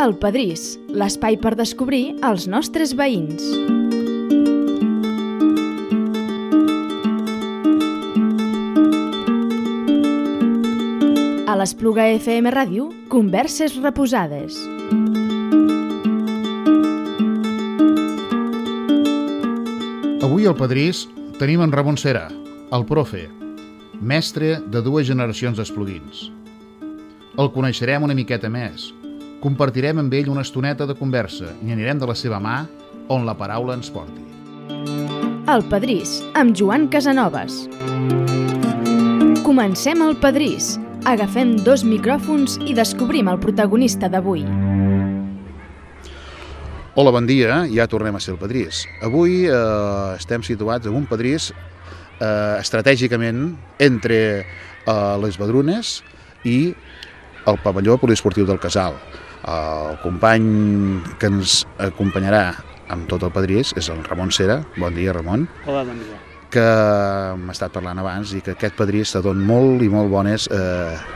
El Pedrís, l'espai per descobrir els nostres veïns. A l'Espluga FM Ràdio, converses reposades. Avui al Pedrís tenim en Ramon Cera, el profe, mestre de 2 generacions d'espluguins. El coneixerem una miqueta més, compartirem amb ell una estoneta de conversa i anirem de la seva mà on la paraula ens porti. El Pedrís, amb Joan Casanovas. Comencem el Pedrís. Agafem 2 micròfons i descobrim el protagonista d'avui. Hola, bon dia, ja tornem a ser el Pedrís. Avui estem situats en un Pedrís estratègicament entre les Vedrunes i el pavelló poliesportiu del Casal. El company que ens acompanyarà amb tot el Pedrís és el Ramon Cera. Bon dia, Ramon. Hola, bon dia. Que m'ha estat parlant abans i que aquest Pedrís te dona molt i molt bones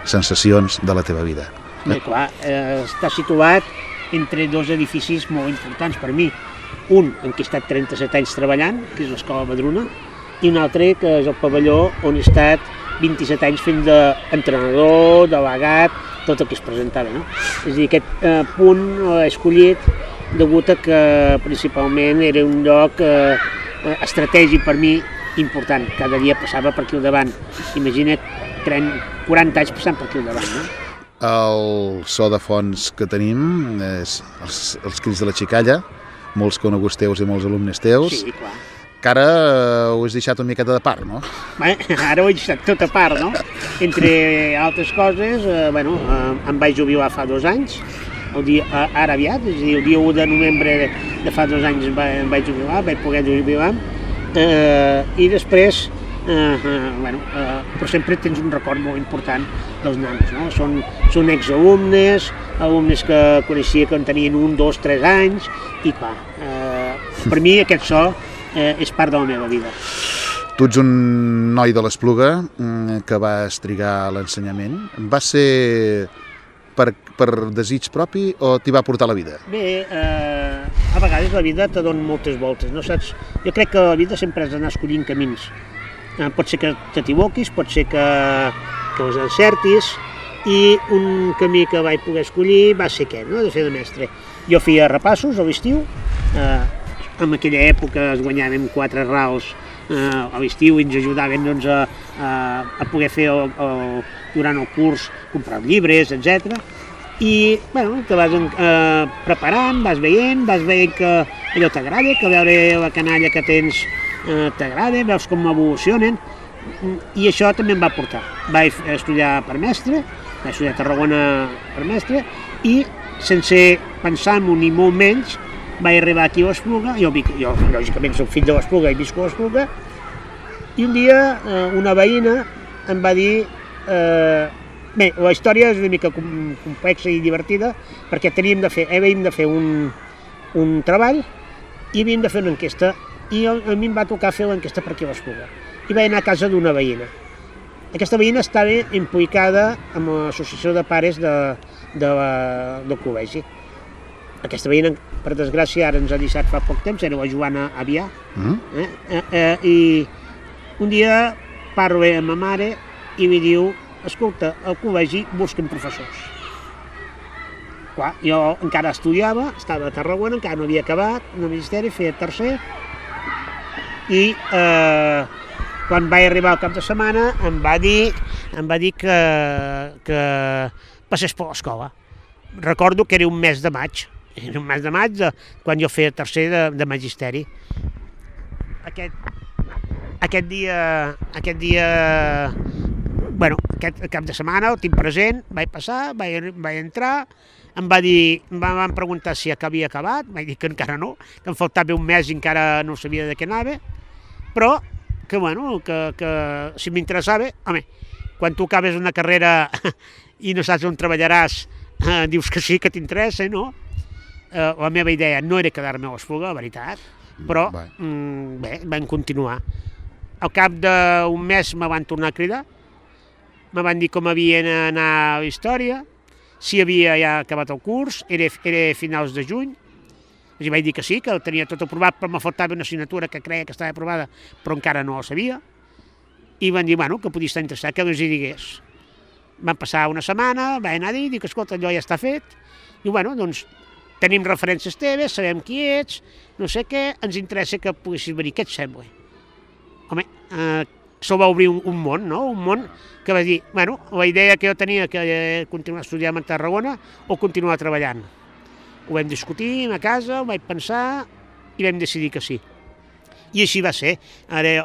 sensacions de la teva vida. Bé, clar, està situat entre 2 edificis molt importants per mi. Un en què he estat 37 anys treballant, que és l'Escola Vedruna, i un altre que és el pavelló on he estat 27 anys fent d'entrenador, delegat, tot el que es presentava, no? És a dir, aquest punt l'he escollit degut a que principalment era un lloc estratègic per mi important. Cada dia passava per aquí al davant. Imagina't 40 anys passant per aquí al davant, no? El so de fons que tenim és els crits de la xicalla, molts coneguts teus i molts alumnes teus. Sí, clar. Que ara ho has deixat una miqueta de part, no? Bé, ara ho he deixat tot a part, no? Entre altres coses, em vaig jubilar fa 2 anys, ara aviat, és a dir, el dia 1 de novembre de fa 2 anys em vaig jubilar, vaig poder jubilar, i després, però sempre tens un record molt important dels nanos, no? Són exalumnes, alumnes que coneixia que en tenien 1, 2, 3 anys, i clar, per mi aquest so és part de la meva vida. Tu ets un noi de l'Espluga que vas trigar a l'ensenyament. Va ser per desig propi o t'hi va portar la vida? Bé, a vegades la vida te dona moltes voltes, no saps? Jo crec que la vida sempre has d'anar escollint camins. Pot ser que t'equivoquis, pot ser que els encertis, i un camí que vaig poder escollir va ser aquest, no? De fer de mestre. Jo feia repassos a l'estiu, en aquella època es guanyàvem 4 rals a l'estiu i ens ajudaven doncs, a poder fer durant el curs, comprar llibres, etc. I te vas preparant, vas veient que allò t'agrada, que veure la canalla que tens t'agrada, veus com evolucionen, i això també em va portar. Vaig estudiar per mestre, vaig estudiar a Tarragona per mestre, i sense pensar-m'ho ni molt menys, vaig arribar aquí a l'Espluga. Jo lògicament soc fill de l'Espluga i visco a l'Espluga, i un dia una veïna em va dir... Bé, la història és una mica complexa i divertida, perquè havíem de fer un treball i havíem de fer una enquesta, i a mi em va tocar fer l'enquesta per aquí a l'Espluga. I vaig anar a casa d'una veïna. Aquesta veïna estava implicada amb l'associació de pares del col·legi. Aquesta veïna, per desgràcia, ara ens ha deixat fa poc temps, era la Joana Avià. I un dia parlo amb ma mare i li diu: escolta, al col·legi busquen professors. Clar, jo encara estudiava, estava a Tarragona, encara no havia acabat el magisteri, feia tercer, i quan vaig arribar al cap de setmana em va dir que passés per l'escola. Recordo que era un mes de maig, quan jo feia tercer de magisteri. Aquest cap de setmana el tinc present, vaig passar, vaig entrar, em van preguntar si havia acabat, vaig dir que encara no, que em faltava un mes i encara no sabia de què anava, però que si m'interessava, home, quan tu acabes una carrera i no saps on treballaràs, dius que sí, que t'interessa, no? La meva idea no era quedar-me a l'Espluga, la veritat, però bé, vam continuar. Al cap d'un mes me van tornar a cridar, me van dir com havia d'anar a la història, si havia ja acabat el curs, era finals de juny, els vaig dir que sí, que ho tenia tot aprovat, però me faltava una assignatura que creia que estava aprovada, però encara no la sabia, i van dir, bueno, que podia estar interessat, que els hi digués. Van passar una setmana, vaig anar a dir, dic, escolta, allò ja està fet, i bueno, doncs, tenim referències teves, sabem qui ets, no sé què, ens interessa que poguessis venir, què et sembla? Home, això va obrir un món, no? Un món que va dir, bueno, la idea que jo tenia que continuar estudiant a Tarragona o continuar treballant. Ho vam discutir a casa, ho vaig pensar i vam decidir que sí. I així va ser. Ara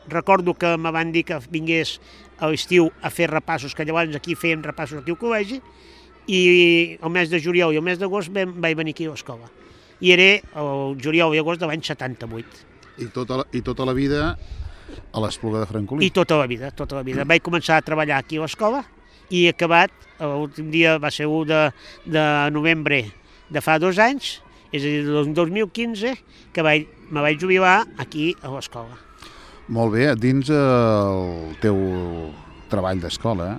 recordo que me van dir que vingués a l'estiu a fer repassos, que llavors aquí fèiem repassos aquí al col·legi, i el mes de juliol i el mes d'agost vaig venir aquí a l'escola. I era el juliol i agost de l'any 78. I tota la vida a l'Espluga de Francolí? I tota la vida. Vaig començar a treballar aquí a l'escola i he acabat, l'últim dia va ser 1 de novembre de fa 2 anys, és a dir, del 2015, que me vaig jubilar aquí a l'escola. Molt bé, dins el teu treball d'escola,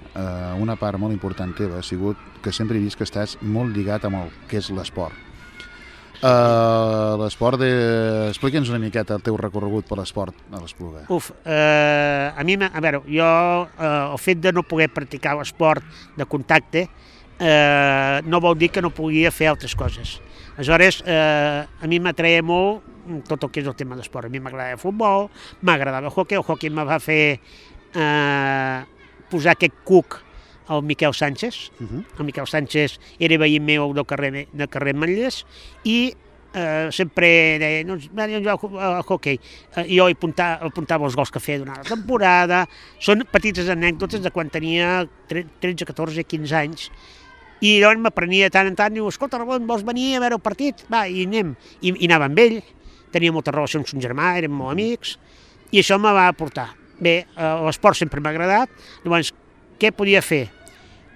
una part molt important teva ha sigut que sempre he vist que estàs molt lligat amb el que és l'esport. L'esport, explica'ns una miqueta el teu recorregut per l'esport a l'Espluga. A mi, a veure, jo el fet de no poder practicar l'esport de contacte no vol dir que no podia fer altres coses. Aleshores, a mi m'atreia molt tot el que és el tema d'esport. A mi m'agradava el futbol, m'agradava el hoquei me va fer posar aquest cuc al Miquel Sánchez. El Miquel Sánchez era veí meu del carrer Manllers i sempre deia, no, jo jugo al hoquei. Jo apuntava els gols que feia durant la temporada. Són petites anècdotes de quan tenia 13, 14, 15 anys. I llavors m'aprenia tant en tant, diu, escolta, Ramon, vols venir a veure el partit? Va, i anem. I anava amb ell, tenia molta relació amb son germà, érem molt amics, i això me va portar. Bé, l'esport sempre m'ha agradat, llavors, què podia fer?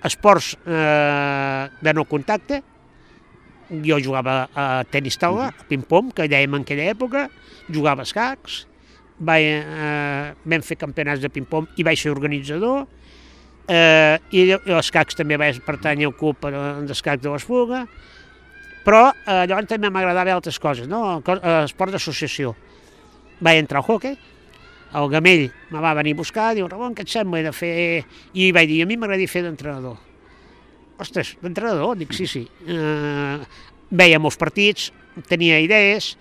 Esports de no contacte, jo jugava a tenis taula, a ping-pong, que dèiem en aquella època, jugava a escacs, vam fer campionats de ping-pong i vaig ser organitzador, i l'escacs també vaig pertànyer al club d'escacs de l'Espluga, però llavors també m'agradava altres coses, no? Esport d'associació. Vaig entrar al hoquei, el Gamell me va venir a buscar, diu, Ramon, què et sembla de fer... I vaig dir, a mi m'agradaria fer d'entrenador. Ostres, d'entrenador? Dic, sí. Veia molts partits, tenia idees,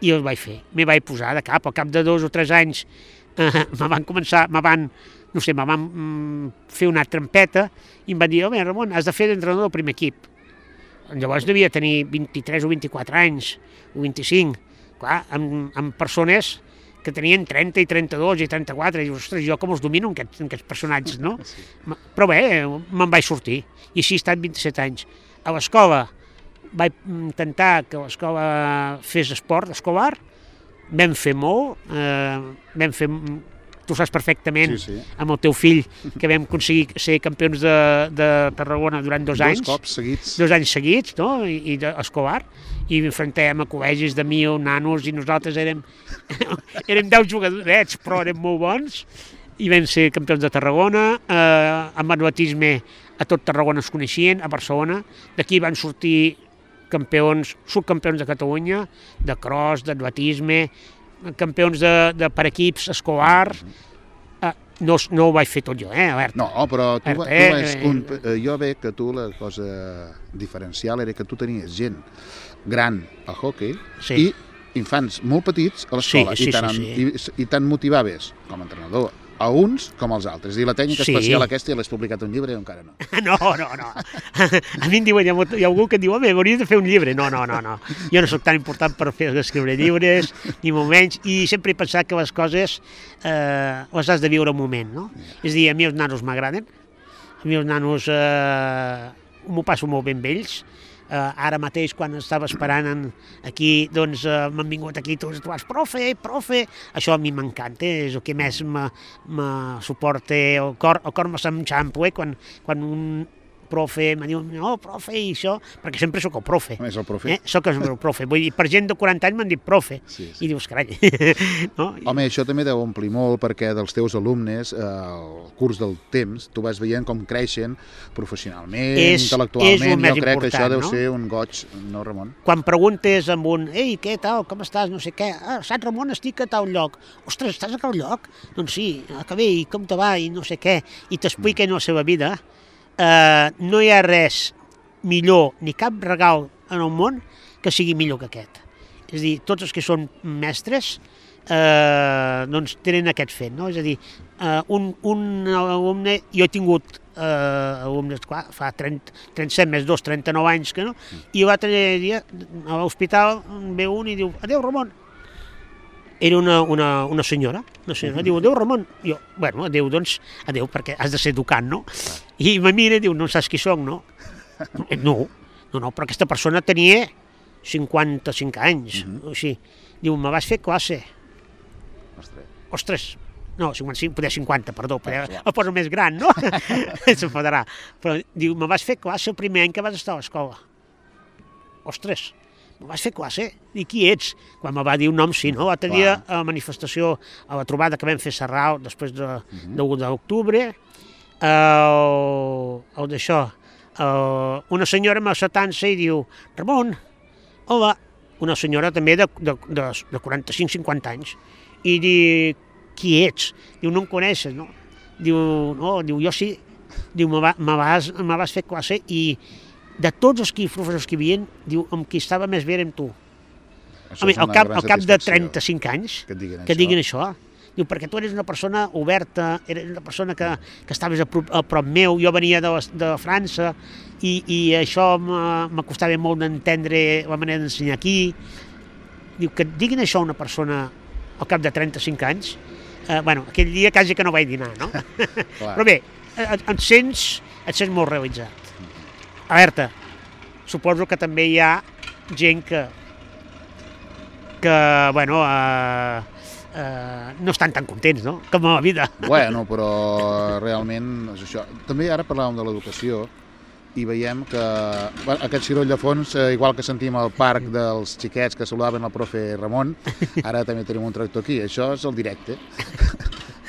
i els vaig fer. M'hi vaig posar de cap, al cap de 2 o 3 anys me van fer una trampeta i em van dir, home, Ramon, has de fer d'entrenador del primer equip. Llavors devia tenir 23 o 24 anys, o 25, clar, amb persones que tenien 30 i 32 i 34, i ostres, jo com els domino aquests personatges, no? Sí. Però bé, me'n vaig sortir, i així he estat 27 anys. A l'escola vaig intentar que l'escola fes esport escolar, vam fer molt, tu saps perfectament, sí. Amb el teu fill, que vam aconseguir ser campions de Tarragona durant 2 anys. 2 cops seguits. 2 anys seguits, no? I escolar. I enfrontàvem a col·legis de 1.000 nanos i nosaltres érem 10 jugadorets, però érem molt bons. I vam ser campions de Tarragona. Amb atletisme a tot Tarragona es coneixien, a Barcelona. D'aquí van sortir subcampions de Catalunya, de cross, d'atletisme, campions de per equips escolar. No ho vaig fer tot jo, alerta. No, però jo veig que tu la cosa diferencial era que tu tenies gent gran al hoquei i infants molt petits a l'escola i tant motivaves com a entrenador a uns com als altres. I la tècnica especial aquesta ja l'has publicat un llibre o encara no? No. A mi em diuen, hi ha algalgú que em diu, home, hauries de fer un llibre. No. Jo no soc tan important per escriure llibres, ni molt menys, i sempre he pensat que les coses les has de viure un moment, no? És a dir, a mi els nanos m'agraden, a mi els nanos m'ho passo molt bé amb ells. Ara mateix, quan estava esperant aquí, doncs m'han vingut aquí tots, profe, això a mi m'encanta, és el que més me suporta el cor me s'enxampa, quan profe, me diuen, no, profe, i això, perquè sempre sóc el profe. A més, el profe. Soc el profe, vull dir, per gent de 40 anys m'han dit profe, Sí. i dius, carai, no? Home, això també deu omplir molt perquè dels teus alumnes, al curs del temps, tu vas veient com creixen professionalment, intel·lectualment, jo crec que això deu ser un goig, no, Ramon? Quan preguntes amb un, ei, què tal, com estàs, no sé què, saps, Ramon, estic a tal lloc. Ostres, estàs a tal lloc? Doncs sí, que bé, i com te va, i no sé què, i t'expliquen la seva vida. No hi ha res millor, ni cap regal en el món que sigui millor que aquest. És a dir, tots els que són mestres doncs tenen aquest fet, no? És a dir, un alumne, jo he tingut alumnes, clar, fa 37 més 2, 39 anys que no, i l'altre dia a l'hospital ve un i diu, adéu Ramon. Era una senyora, diu, adéu Ramon. Jo, bueno, adéu, doncs, adéu, perquè has de ser educant, no? I me mira i diu, no saps qui soc, no? No, però aquesta persona tenia 55 anys, o així. Diu, me vas fer classe. Ostres, no, 55, poder 50, perdó, el poso més gran, no? S'enfadarà. Però diu, me vas fer classe el primer any que vas estar a l'escola. Ostres, me vas fer classe? I qui ets? Quan me va dir un nom, sí, no? L'altre dia a la manifestació, a la trobada que vam fer a Sarral després de l'1 d'octubre, d'això, una senyora me s'atança i diu, Ramon, hola, una senyora també de 45-50 anys, i diu, qui ets? Diu, no em coneixes, no? Diu, no, diu, jo sí. Diu, me vas fer classe i de tots els professors que hi havia, diu, amb qui estava més bé era amb tu. Home, al cap de 35 anys que diguin això. Diu, perquè tu eres una persona oberta, eres una persona que estaves a prop meu, jo venia de França i això m'acostava molt d'entendre la manera d'ensenyar aquí. Diu, que diguin això a una persona al cap de 35 anys, bueno, aquell dia quasi que no vaig dinar, no? Però bé, et sents molt realitzat. Alerta, suposo que també hi ha gent que bueno, no estan tan contents, no?, com a la vida. Bueno, però realment és això. També ara parlàvem de l'educació i veiem que aquest ciroll de fons, igual que sentim al parc dels xiquets que saludaven el profe Ramon, ara també tenim un tractor aquí. Això és el directe.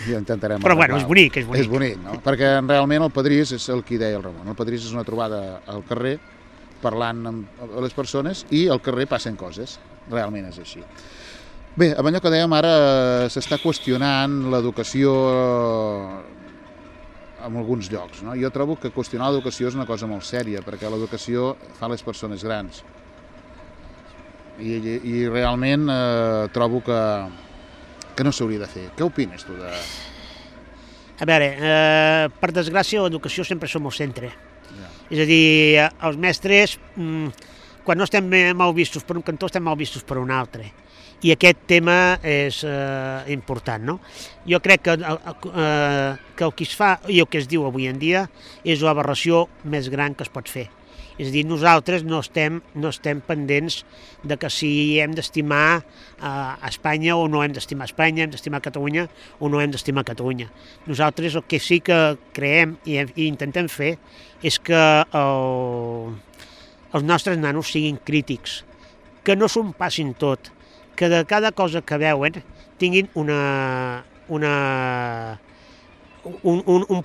I intentarem però bueno, és bonic. És bonic, no? Perquè realment el Padrís és el que deia el Ramon. El Padrís és una trobada al carrer, parlant amb les persones, i al carrer passen coses. Realment és així. Bé, amb allò que dèiem ara, s'està qüestionant l'educació en alguns llocs, no? Jo trobo que qüestionar l'educació és una cosa molt sèria, perquè l'educació fa les persones grans. I realment trobo que no s'hauria de fer. Què opines tu de...? A veure, per desgràcia, l'educació sempre som al centre. És a dir, els mestres, quan no estem mal vistos per un cantó, estem mal vistos per un altre. I aquest tema és important, no? Jo crec que el que es fa i el que es diu avui en dia és l'aberració més gran que es pot fer. És a dir, nosaltres no estem pendents de que si hem d'estimar Espanya o no hem d'estimar Espanya, hem d'estimar Catalunya o no hem d'estimar Catalunya. Nosaltres el que sí que creem i intentem fer és que els nostres nanos siguin crítics, que no s'ho passin tot, que de cada cosa que veuen tinguin un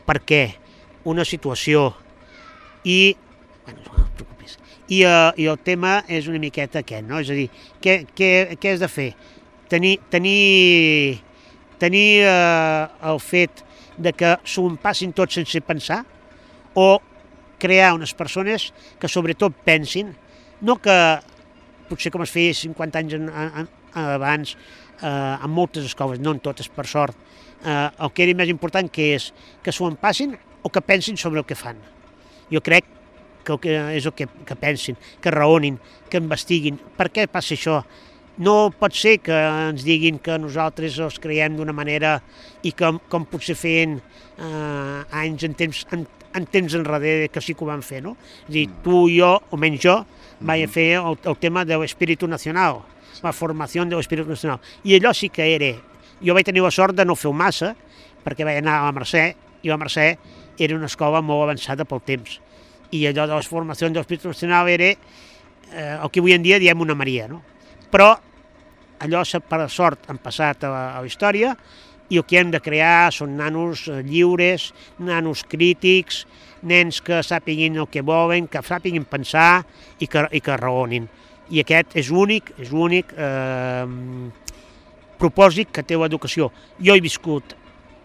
per què, una situació. I bueno, no et preocupis. I el tema és una miqueta aquest, no? És a dir, què has de fer? Tenir el fet de que s'ho passin tot sense pensar, o crear unes persones que sobretot pensin, no que potser com es feia 50 anys abans en moltes escoles, no en totes per sort, el que era més important que és que s'ho passin o que pensin sobre el que fan. Jo crec que és el que pensin, que raonin, que investiguin. Per què passa això? No pot ser que ens diguin que nosaltres els creiem d'una manera i com potser feien anys en temps enrere que sí que ho van fer, no? És a dir, tu i jo, o menys jo, vaig fer el tema de l'espíritu nacional, la formació de l'espíritu nacional. I allò sí que era... Jo vaig tenir la sort de no fer-ho massa, perquè vaig anar a la Mercè, i la Mercè era una escola molt avançada pel temps. i allò de les formacions d'Hospital Nacional era el que avui en dia diem una Maria, no? Però allò, per sort, han passat a la història i el que hem de crear són nanos lliures, nanos crítics, nens que sàpiguin el que volen, que sàpiguin pensar i que raonin. I aquest és l'únic propòsit que té l'educació. Jo he viscut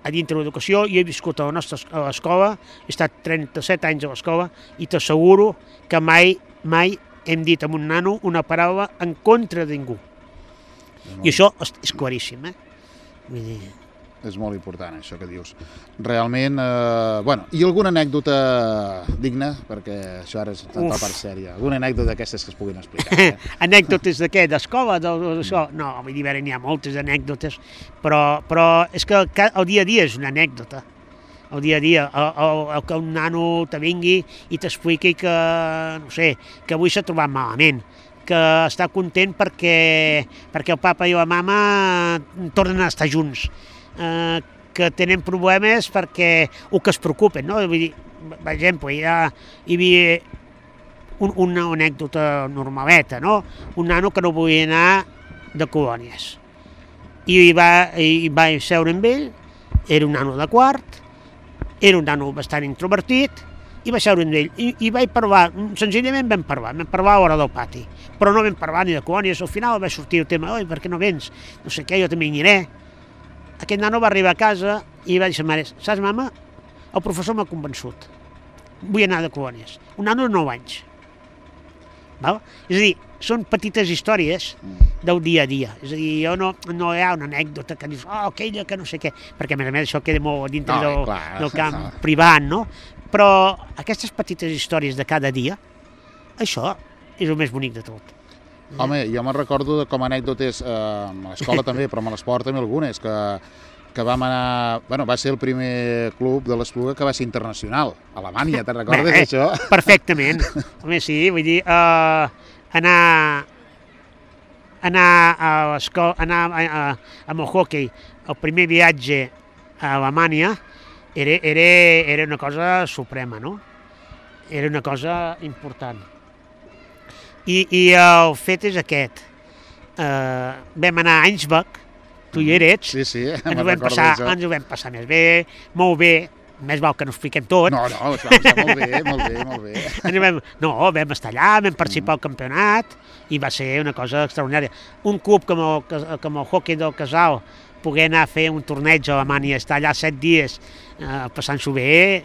a dintre de l'educació, jo he viscut a la nostra escola, he estat 37 anys a l'escola i t'asseguro que mai hem dit a un nano una paraula en contra de ningú. I això és claríssim, Vull dir... És molt important, això que dius. Realment, i alguna anècdota digna, perquè això ara és la part sèria. Alguna anècdota d'aquestes que es puguin explicar? Anècdotes de què? D'escola? No, vull dir, n'hi ha moltes anècdotes, però és que el dia a dia és una anècdota. El dia a dia, que un nano te vingui i t'expliqui que, no sé, que avui s'ha trobat malament, que està content perquè el papa i la mama tornen a estar junts, que tenen problemes perquè o que es preocupen, no? Vull dir, per exemple, hi havia una anècdota normaleta, no? Un nano que no volia anar de colònies. I va seure amb ell, era un nano de quart, era un nano bastant introvertit, i va seure amb ell. I vaig parlar, senzillament vam parlar a l'hora del pati, però no vam parlar ni de colònies. Al final va sortir el tema, oi, per què no vens? No sé què, jo també hi aniré. Aquest nano va arribar a casa i va dir a sa mare, saps, mama, el professor m'ha convençut, vull anar de colònies. Un nano de 9 anys. Val? És a dir, són petites històries del dia a dia. És a dir, no hi ha una anècdota que dius, aquella que no sé què, perquè a més això queda molt dintre del camp privat, no? Però aquestes petites històries de cada dia, això és el més bonic de tot. Home, jo me'n recordo com a anècdotes a l'escola també, però a l'esport també algunes, que vam anar... va ser el primer club de l'Espluga que va ser internacional, a Alemanya, te'n recordes d'això? Perfectament. Home, sí, vull dir, anar a l'escola, amb el hoquei, el primer viatge a Alemanya era una cosa suprema, no? Era una cosa important. I el fet és aquest. Vam anar a Einsbach, tu hi eres, sí, ens ho vam passar més bé, molt bé, més val que no expliquem tot. No, ens vam passar molt bé. Vam estar allà, vam participar al campionat i va ser una cosa extraordinària. Un club com el hoquei del Casal, poder anar a fer un torneig a Alemanya, estar allà 7 dies passant-s'ho bé,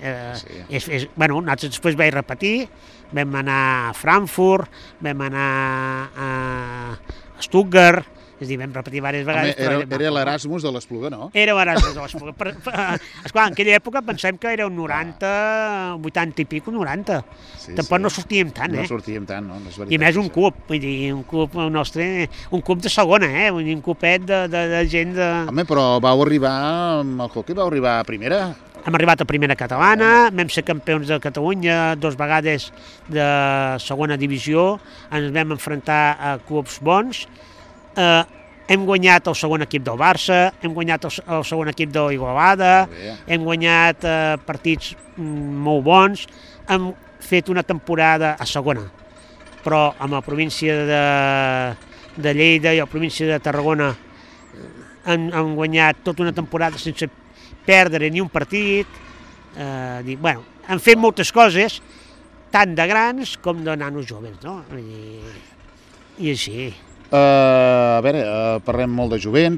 nosaltres després vaig repetir, vam anar a Frankfurt, vam anar a Stuttgart, és a dir, vam repetir diverses vegades. Era l'Erasmus de l'Espluga, no? Era l'Erasmus de l'Espluga. Esclar, en aquella època pensem que era un 90, 80 i pico, 90. Tampoc no sortíem tant, No sortíem tant, no? I més un club, vull dir, un club nostre, un club de segona, vull dir, un clubet de gent de... Home, però vau arribar, amb el hoquei vau arribar a primera? Hem arribat a primera catalana, vam ser campions de Catalunya 2 vegades de segona divisió, ens vam enfrontar a clubs bons, hem guanyat el segon equip del Barça, hem guanyat el segon equip de l'Igualada, hem guanyat partits molt bons, hem fet una temporada a segona, però amb la província de Lleida i la província de Tarragona hem guanyat tota una temporada sense perdre ni un partit. Han fet moltes coses, tant de grans com de nanos joves, no? I així. A veure, parlem molt de jovent,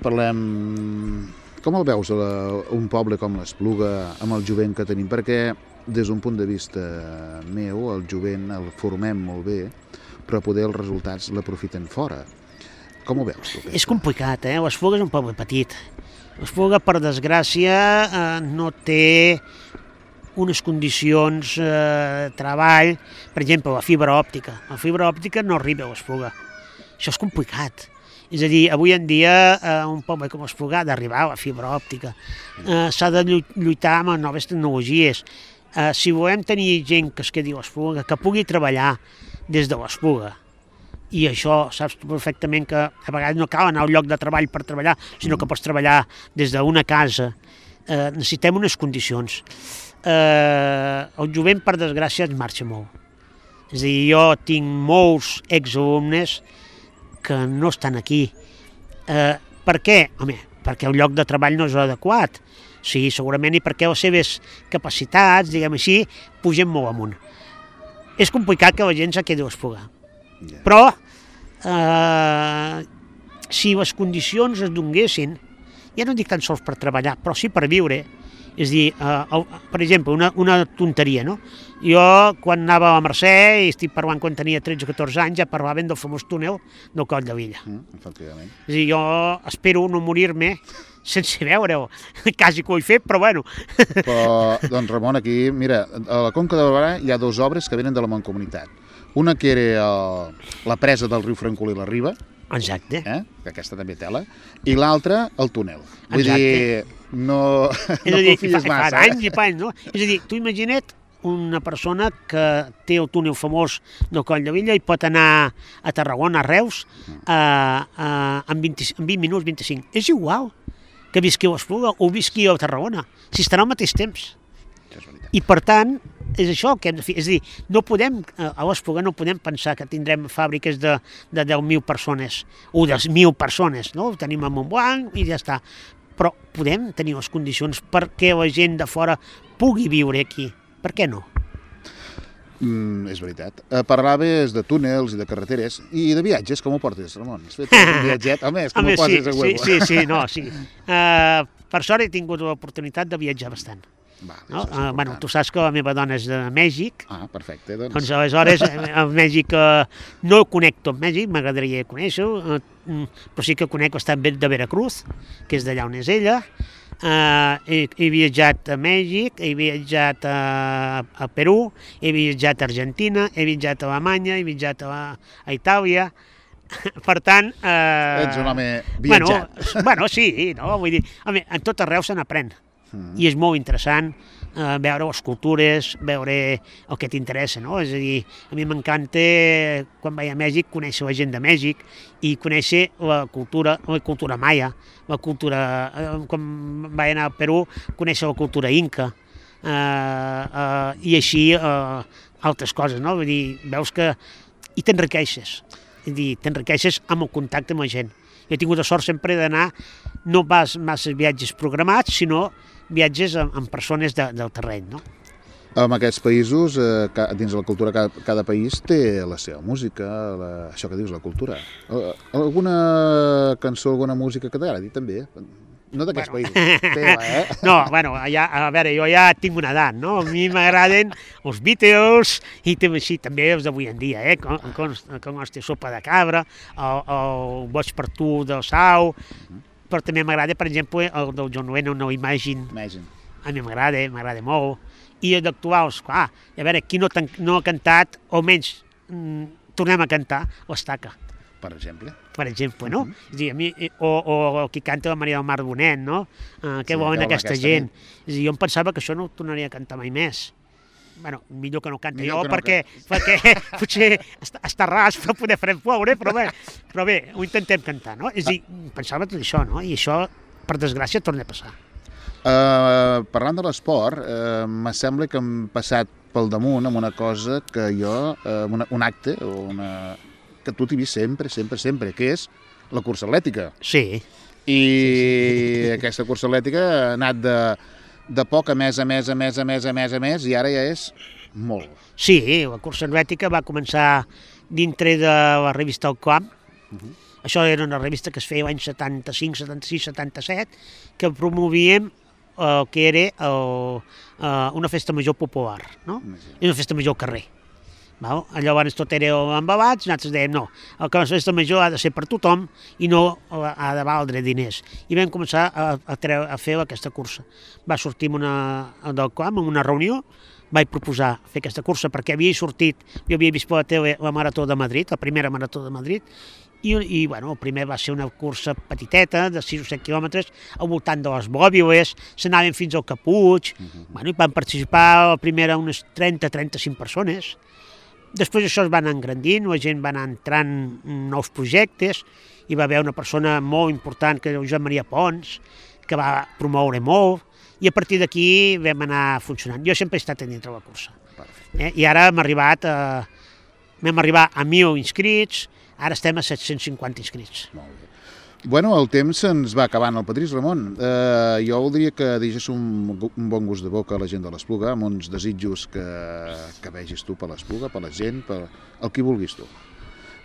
Com el veus, un poble com l'Espluga, amb el jovent que tenim? Perquè, des d'un punt de vista meu, el jovent el formem molt bé, però poder els resultats l'aprofiten fora. Com ho veus, tu? És complicat, l'Espluga és un poble petit. L'Espluga, per desgràcia, no té unes condicions de treball, per exemple, la fibra òptica. La fibra òptica no arriba a l'Espluga. Això és complicat. És a dir, avui en dia un poble com l'Espluga ha d'arribar a la fibra òptica. S'ha de lluitar amb les noves tecnologies. Si volem tenir gent que es quedi a l'Espluga, que pugui treballar des de l'Espluga, i això saps perfectament que a vegades no cal anar al lloc de treball per treballar, sinó que pots treballar des d'una casa, necessitem unes condicions. el jovent, per desgràcia, es marxa molt. És a dir, jo tinc molts exalumnes que no estan aquí. Per què? Home, perquè el lloc de treball no és adequat. Sí, segurament, i perquè les seves capacitats, diguem així, pugen molt amunt. És complicat que la gent se quedi a Esplugar. Però, si les condicions es donguessin, ja no dic tan sols per treballar, però sí per viure. És a dir, per exemple, una tonteria, no? Jo, quan anava a Mercè, i estic parlant quan tenia 13 o 14 anys, ja parlaven del famós túnel del Coll de Villa. Efectivament. És a dir, jo espero no morir-me sense veure-ho. Quasi que ho he fet, però bueno. Però, doncs, Ramon, aquí, mira, a la Conca de Barberà hi ha dues obres que venen de la Mancomunitat. Una que era la presa del riu Francolí i la Riba, Exacte. que aquesta també tela, i l'altra, el túnel. Vull Exacte. dir, no confies massa. Fa anys i panys, no? És a dir, tu imagina't una persona que té el túnel famós del Coll de Villa i pot anar a Tarragona, a Reus, en 20 minuts, 25. És igual que visqui a Espluga o visqui a Tarragona, si estarà al mateix temps. I per tant, és això que hem de fer. És a dir, no podem, a l'Espluga no podem pensar que tindrem fàbriques de 10.000 persones o de 1.000 persones, no? Ho tenim a Montblanc i ja està. Però podem tenir les condicions perquè la gent de fora pugui viure aquí. Per què no? És veritat. Parlaves de túnels i de carreteres i de viatges. Com ho portes, Ramon? Has fet un viatget? Home, és com ho poses a huevo. Sí. Per sort he tingut l'oportunitat de viatjar bastant. No? Bueno, tu saps que la meva dona és de Mèxic. Ah, perfecte. Doncs aleshores, a Mèxic no conec tot Mèxic, m'agradaria conèixer-ho, però sí que conec l'estat de Veracruz, que és d'allà on és ella. He viatjat a Mèxic, he viatjat a Perú, he viatjat a Argentina, he viatjat a Alemanya, he viatjat a Itàlia. Per tant... Ets un home viatjat. Bueno, sí, no? Vull dir, home, en tot arreu se n'aprèn. I és molt interessant veure les cultures, veure el que t'interessa, no? És a dir, a mi m'encanta, quan vaig a Mèxic, conèixer la gent de Mèxic i conèixer la cultura maia, la cultura... Quan vaig anar a Perú, conèixer la cultura inca, i així altres coses, no? Vull dir, veus que... I t'enriqueixes. És a dir, t'enriqueixes amb el contacte amb la gent. Jo he tingut la sort sempre d'anar, no pas massa viatges programats, sinó viatges amb persones del terreny, no? En aquests països, dins de la cultura, cada país té la seva música, això que dius, la cultura. Alguna cançó, alguna música que t'agradi, també? No d'aquests països, teva, No, bueno, a veure, jo ja tinc una edat, no? A mi m'agraden els Beatles i també els d'avui en dia, com hòstia, Sopa de Cabra, el Boig per tu del Sau, però també m'agrada, per exemple, el del John Lennon, no Imagine. A mi m'agrada molt. I d'actuals, clar, a veure, qui no ha cantat, o almenys tornem a cantar, l'Estaca. Per exemple? Per exemple, no? És a dir, a mi, o qui canta la Maria del Mar Bonet, no? Què volen aquesta gent? És a dir, jo em pensava que això no ho tornaria a cantar mai més. Bueno, millor que no canti jo, perquè potser està ras per poder fer ploure, però bé, ho intentem cantar, no? És a dir, pensava tot això, no? I això, per desgràcia, torna a passar. Parlant de l'esport, me sembla que hem passat pel damunt amb una cosa que jo, un acte, que tu t'hi vist sempre, que és la cursa atlètica. Sí. I aquesta cursa atlètica ha anat de poc a més, i ara ja és molt. Sí, la cursa atlètica va començar dintre de la revista El Camp. Això era una revista que es feia l'any 75, 76, 77, que promovíem el que era una festa major popular, no? I una festa major al carrer. Llavors tot era embabats, nosaltres dèiem no, la festa major ha de ser per tothom i no ha de valdre diners. I vam començar a fer aquesta cursa. Va sortir del camp, en una reunió, vaig proposar fer aquesta cursa perquè havia sortit, jo havia vist per la tele la Marató de Madrid, la primera Marató de Madrid, i bueno, el primer va ser una cursa petiteta, de 6 o 7 quilòmetres, al voltant de les Bòbiles, s'anaven fins al Caputx, bueno, i van participar la primera unes 30-35 persones. Després això es va anar engrandint, la gent va anar entrant nous projectes, hi va haver una persona molt important, que era Josep Maria Pons, que va promoure molt, i a partir d'aquí vam anar funcionant. Jo sempre he estat dintre la cursa. I ara hem arribat a 1.000 inscrits, ara estem a 750 inscrits. Molt bé. Bueno, el temps se'ns va acabant, el Patrís, Ramon. Jo voldria que deixés un bon gust de boca a la gent de l'Espluga, amb uns desitjos que vegis tu per l'Espluga, per la gent, per el que vulguis tu.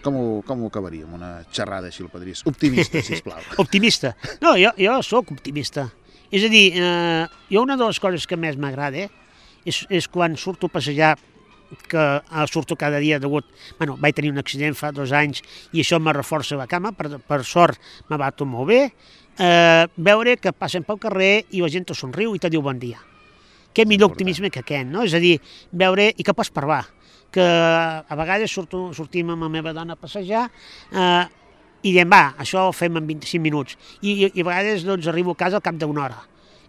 Com ho acabaríem, una xerrada així, el Patrís? Optimista, sisplau. Optimista? No, jo sóc optimista. És a dir, jo una de les coses que més m'agrada és quan surto a passejar, que surto cada dia degut... Bueno, vaig tenir un accident fa 2 anys i això me reforça la cama, per sort me va tot molt bé, veure que passen pel carrer i la gent te somriu i te diu bon dia. Què millor optimisme que aquest, no? És a dir, veure i que pots parlar, que a vegades sortim amb la meva dona a passejar i diem, va, això ho fem en 25 minuts i a vegades doncs, arribo a casa al cap d'1 hora.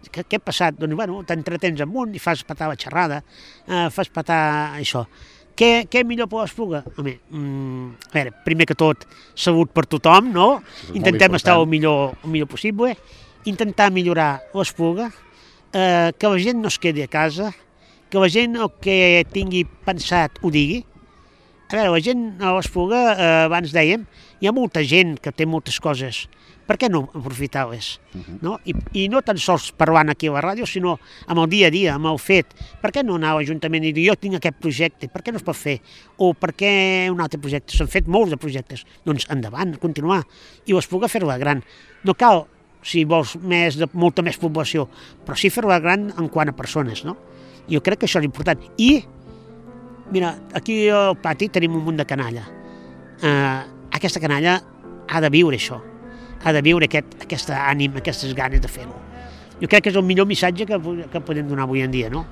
Què ha passat? Doncs, bueno, t'entretens amunt i fas petar la xerrada, fas petar això. Què millor per l'Espluga? Home, a veure, primer que tot, salut per tothom, no? Intentem estar el millor possible, intentar millorar l'Espluga, que la gent no es quedi a casa, que la gent el que tingui pensat ho digui. A veure, la gent a l'Espluga, abans dèiem, hi ha molta gent que té moltes coses. Per què no aprofitar-les? No? I no tan sols parlant aquí a la ràdio, sinó amb el dia a dia, amb el fet. Per què no anar a l'Ajuntament i dir jo tinc aquest projecte, per què no es pot fer? O per què un altre projecte? S'han fet molts de projectes. Doncs endavant, continuar. I l'Espluga fer-la gran. No cal, si vols, molta més població, però sí fer-la gran en quant a persones, no? Jo crec que això és important. I, mira, aquí al pati tenim un munt de canalla. Aquesta canalla ha de viure això. Ha de viure aquesta ànima, aquestes ganes de fer-ho. Jo crec que és el millor missatge que podem donar avui en dia, no?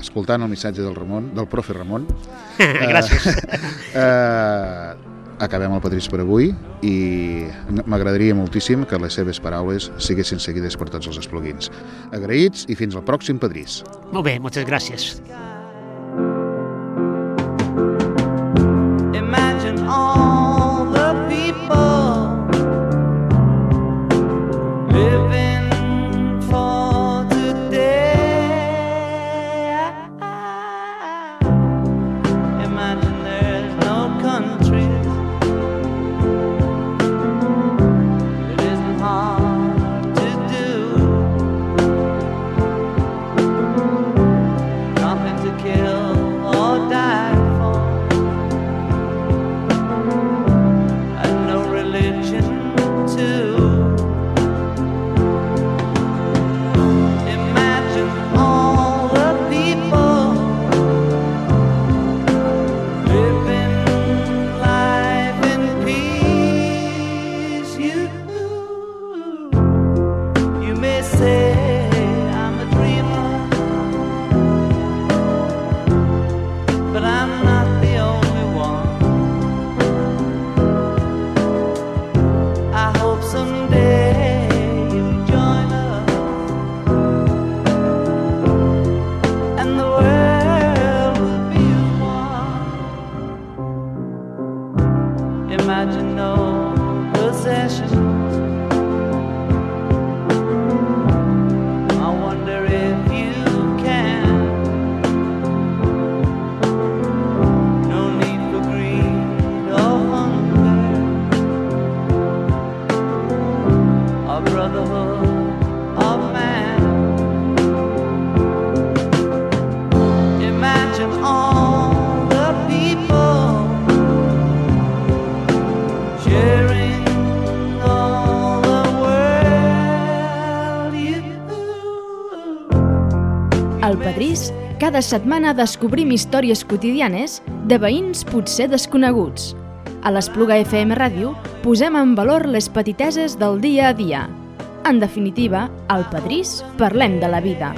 Escoltant el missatge del profe Ramon... Gràcies. Acabem el Patrís per avui i m'agradaria moltíssim que les seves paraules siguessin seguides per tots els espluguins. Agraïts i fins al pròxim Patrís. Molt bé, moltes gràcies. Imagine all the people living for today. Imagine there's no countries. It isn't hard to do. Nothing to kill or die for. And no religion too. Imagine no possessions. I wonder if you can. No need for greed or hunger, or brotherhood of man. Imagine all the people sharing all the world. Al Padrís, cada setmana descobrim històries quotidianes de veïns potser desconeguts. A l'Espluga FM Ràdio posem en valor les petiteses del dia a dia. En definitiva, al Padrís parlem de la vida.